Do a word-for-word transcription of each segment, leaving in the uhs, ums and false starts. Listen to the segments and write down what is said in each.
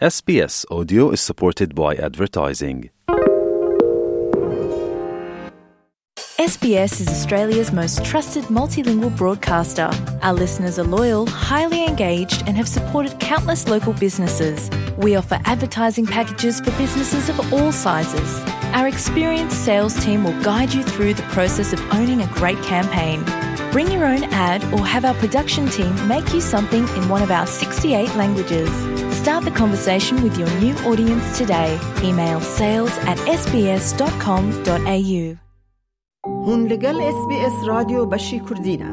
S B S Audio is supported by advertising. S B S is Australia's most trusted multilingual broadcaster. Our listeners are loyal, highly engaged, and have supported countless local businesses. We offer advertising packages for businesses of all sizes. Our experienced sales team will guide you through the process of owning a great campaign. Bring your own ad or have our production team make you something in one of our sixty-eight languages. Start the conversation with your new audience today. Email sales at S B S dot com dot A U. Hûn li gel S B S Radyo Beşî Kurdî ne.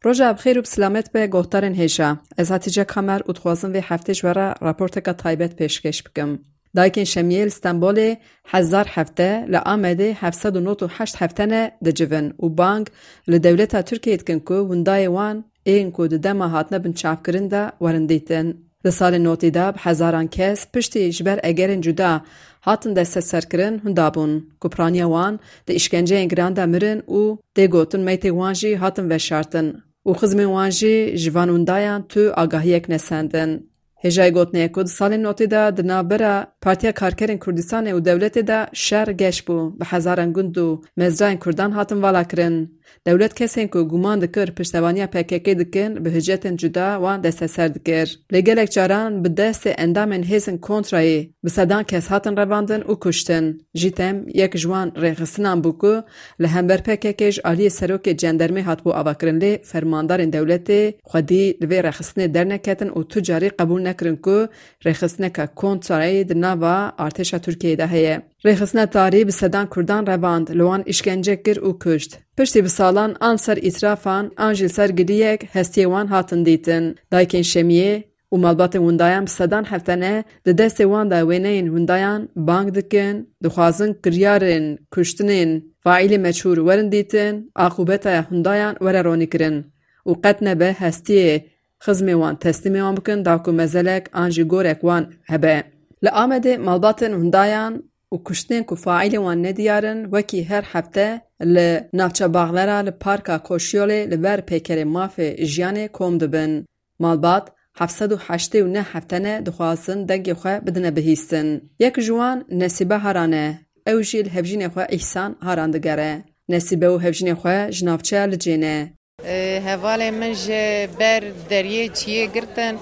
Roja bi xêr û bi silamet be, guhdarên hêja. Ez Hatice Kamer û dixwazim vê heftê ji we re raporteka taybet pêşkêş bikim. Dayikên Şemiyê li Stenbolê hezar hefte, li Amedê heft sed û nod û heşt hefte ne dicivin û bang li dewleta Tirkiyeyê dikin ku windayê wan ên ku di dema hatine binçavkirin de werin dîtin. Di salên notî de bi hezaran kes piştî ji ber egerên cuda hatin desteserkirin hunda bûn ku piraniya wan di îşkenceyên giran de mirin û tê gotin meytê wan jî hatin veşartin û xizmên wan jî ji van windayan tu agahiyek nesendin. Hêjayî gotinê ye ku di salên notî de di navbera Partiya Karkerên Kurdistanê û dewletê de şer geş bû, bi hezaran gund û mezrayên Kurdan hatin valakirin. Dewlet kesên ku guman dikir piştevaniya P K K dikin, bi hicetên cuda wan desteser dikir. Lê gelek caran bi destê endamên hêzên kontrayê bi sedan kes hatin revandin û kuştin. Jîtem yek ji wan rêxistinan bû ku li hember P K K ji aliyê serokê cendermê hatibû avakirin, lê fermandarên dewletê xwedî li vê rêxistinê derneketin û tu carî qebûl nekirin ku rêxistineke kontrayê di nava artêşa Tirkiyeyê de heye. Rêxistina tarî bi sedan Kurdan revand, li wan îşkence kir û kuşt. Piştî bi salan an ser îtirafan, an jî li ser giliyek hestiyê wan hatin dîtin. Dayikên Şemiyê û malbatên windayan bi sedan hefte ne di destê wan de wêneyên windayan bang dikin, dixwazin kiryarên kuştinên faîlê meçhûl werin dîtin, aqûbeta hundayan were ronîkirin û qet nebe hestiyê xizmê wan teslîmê wan bikin, da ku mezelek an jî gorek wan hebe. Li Amedê malbatên hundayan û kuştinên ku faîlê wan nediyar in, wekî her hefte li navça Baxlera li Parka Koşyolê li ber peykerê mafê jiyanê kom dibin. Malbat heft sed û heştê û neh hefte ne dixwazin dengê xwe bidine bihîstin. Yek ji wan Nesîbe Haran e. Ew jî li hevjînê xwe Îhsan Haran digere. Nesîbe û hevjînê xwe ji navçeya Licê ne. Ê, hevalê min ji ber deriyê çiyê girtin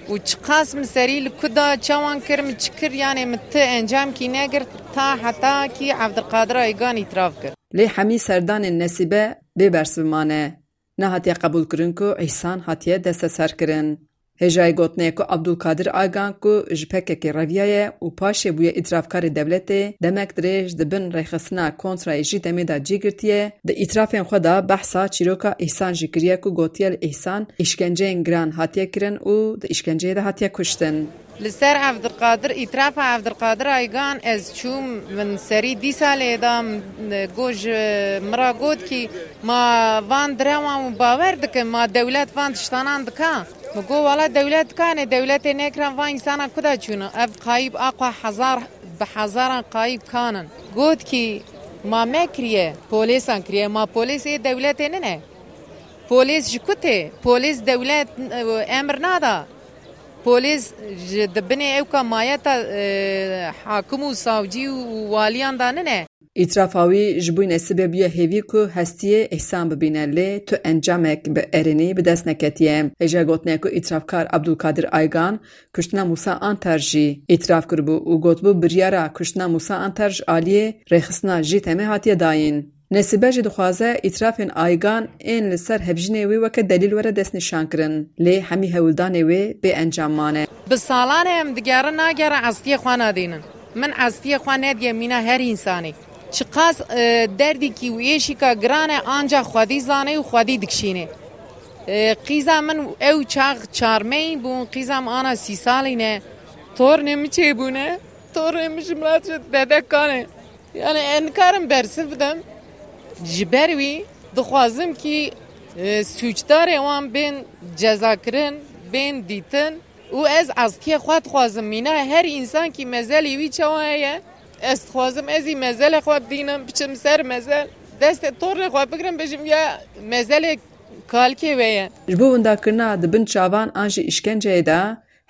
û çiqas min serî li ku da çawan kir, min çi kir, yanê min ti encamkî negirt, ta heta kî Evdilqadir Aygan îtiraf kir. Lê hemî serdanên Nesîbe bê bersiv mane. Nehatiye qebûlkirin ku Îhsan hatiye desteserkirin. Hêjayî gotinê ye ku Abdulkadir Aygan ku ji P K K reviyaye û paşê bûye îtirafkarê dewletê, demek dirêj di bin rêxistina kontrayê jî demê de cî girtiye, di îtirafên xwe de behsa çîroka Îhsan jî kiriye ku gotiye li Îhsan îşkenceyên giran hatiye kirin û di îşkenceyê de hatiye kuştin. Li ser Evdilqadir, îtirafa Evdilqadir Aygan ez çûm, min serî dîsa lê da, min got, ji min re got kî ma van direwan û bawer dikin, ma dewlet van tiştanan dika? Min got, wala dewlet dikane, dewletê nekiran van însana kuda çûna? Ev qayîb aqwa hezar, bi hezaran qayîb kanin. Got kî ma me kiriye, polêsan kiriye, ma polês ê dewletê nine? Polês ji ku tê? Polês dewlet, e, emir nada. Polês ji di binê ewka mayeta, e, hakim û savcî û waliyan de nine. Îtirafa wî ji bo Nesîbe bûye hêvî ku hestiyê Îhsan bibîne, lê tu encamek bi erênî bi dest neketiye. Hêja gotinê ku îtirafkar Abdulkadir Aygan kuştina Mûsa Anter jî îtiraf kiribû û gotibû biryara kuştina Mûsa Anter ji aliyê rêxistina jî temê hatiye dayîn. Nesîbe jî dixwaze îtirafên Aygan ên li ser hevjînê wê weke delîl were destnîşankirin, lê hemî hewldanê wê bê encam mane. Bi salan e em digerin, nagerin, estiyê xwe nadînin. Min estiyê xwe nediye mîna her însanê. Çiqas, e, derdîkî û êşîka giran e, ancax xwedî zane û xwedî dikişîne. E, qîza min ew çax çarmeyî bûn, qîza min ana sî salî ne. Tornê min çêbûne, tornê min ji min re dede kane. Yani ez nikarim bersiv bidim. Ji ber wî dixwazim kî, e, sûcdarê wan bên cezakirin, bên dîtin û ez azkiyê xwe dixwazim. Mîna her însan kî mezelî wî çawa heye, ez dixwazim ez î mezelê xwe bidînim, biçim ser mezel, destê tornê xwe bigrim, bêjim ya mezelê kalikê we ye. Ji bo windakirina di bin çavan an jî îşkenceyê de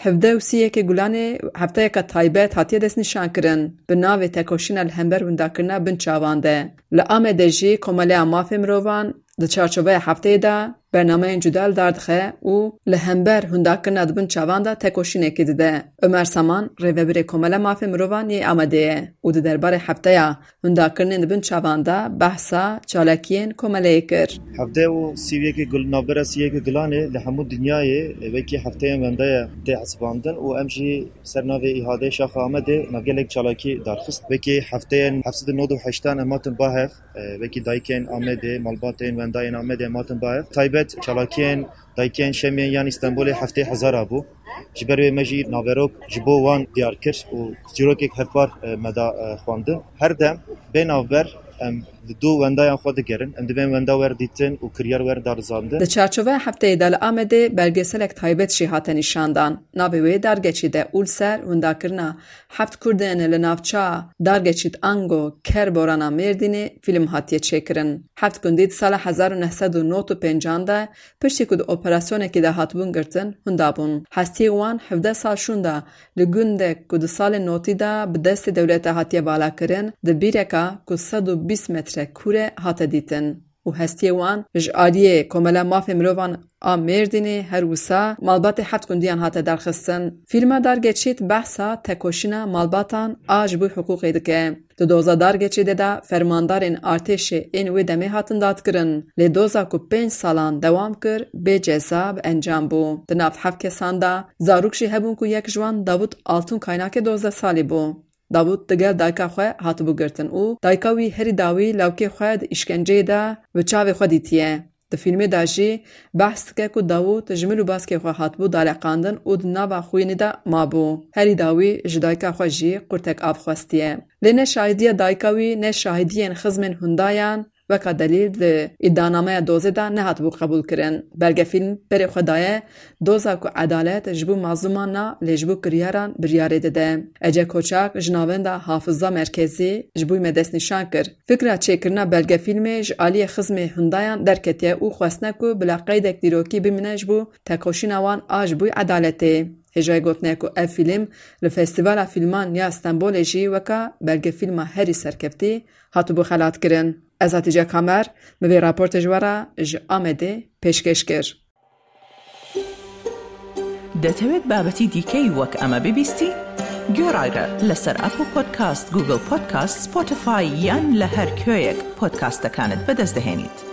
Hevdeh û sî yekê Gulanê hefteyeke taybet hatiye destnîşankirin, bi navê Tekoşîna li hember windakirina binçavan de. Li Amedê jî Komeleya Mafê Mirovan di çarçoveya hefteyê de bernameyên cuda li dar dixe û li hember windakirina di binçavan de tekoşînekê dide. Omer Saman, rêvebirê Komeleya Mafê Mirovan yê Amedê ye û di derbarê hefteya hundakirinên di binçavan de behsa çalakiyên komeleyê kir. Hevdeh û sî û yekê Gul-, navbera sî û yekê Gulanê li hemû dinyayê wekî hefteyên wenda ye tê hesibandin û em jî ser navê îhadeyê Şaxa Amedê me gelek çalakî darxist. Wekî hefteyên heft sed û nod û heştan em hatin ba hev, e, wekî dayikên Amedê, malbatên wendayên Amedê em hatin ba hev. Taybet çalakiyên dayikên Şemiyê yan Îstenbolê heftê hezara bû. Ji ber wê me jî naverok ji bo wan diyar kir û çîrokek hevpar, e, me da, e, xwendin. Her dem bê navber em li dû wendayan xwe digerin. Em dibên wenda wer dîtin û kiryar wer darizandin. Di çarçoveya hefteyê de li Amedê belgeselek taybet jî hate nîşandan. Navê wê Dargeçî de û li ser windakirina heft kurdên li navça Dargeçît ango Kerborana Mêrdînê fîlm hatiye çêkirin. Heft gundî di sala hezar û neh sed û nod û pêncan de piştî ku di operasyonekê de hatibûn girtin, hunda bûn. Hestiyê wan hevdeh sal şûnda li gundek ku di salên notî de bi destê dewleta hatiye valakirin, di bîreka ku sed û bîst metre kûr e hate dîtin û hestiyê wan ji aliyê Komela Mafê Mirovan a Mêrdînê her wisa malbatê heft gundiyan hate derxistin. Fîlma Dargeçît behsa tekoşîna malbatan a ji bo hiqûqê dike. Di doza Dargeçîtê de fermandarên artêşê ên wê demê hatin dadkirin. Lê doza ku pênc salan dewam kir, bê ceza bi encam bû. Di nav heft kesan de zarok jî hebûn ku yek ji wan Davut Altun Kaynakê dozdeh salî bû. Davut digel dayika xwe hatibû girtin û dayika wî herî dawî lawkê xwe di îşkenceyê de bi çavê xwe dîtiye. Di fîlmê de jî behs dike ku Davut ji mil û baskê xwe hatibû daleqandin û di nava xwînê de mabû. Herî dawî ji dayika xwe jî qurtek av xwestiye. Lê ne şahidiya dayika wî ne şahidiyên xizmên hundayan weka delîl di îdianameya dozê de nehatibû qebûlkirin. Belgefîlm berê xwe daye doza ku edalet ji bo mazlûman na, lê ji bo kiryaran biryarê dide. Ece Koçak ji navenda Hafiza Merkezî ji bo me destnîşan kir. Fikra çêkirina belgefîlmê ji aliyê xizmê hundayan derketiye û xwestine ku bila qeydek dîrokî bimîne ji bo tekoşîna wan a ji bo edaletê. Hêjayê gotinê ku ev fîlm li Festîvala Fîlman ya Stenbolê jî weka belgefîlma herî serkeftî hatibû xelatkirin. Ez Hatîce Kamer, min vê raportê ji we re ji Amedê pêşkêş kir. دەتەوێت بابەتی دیکەی وەک ئەمە ببیستی؟ گوێڕایرە لەسەر ئەپڵ پۆدکاست، گوگڵ پۆدکاست، سپۆتیفای یان لە هەر کوێیەک پۆدکاستەکانت بەدەست دەهێنیت.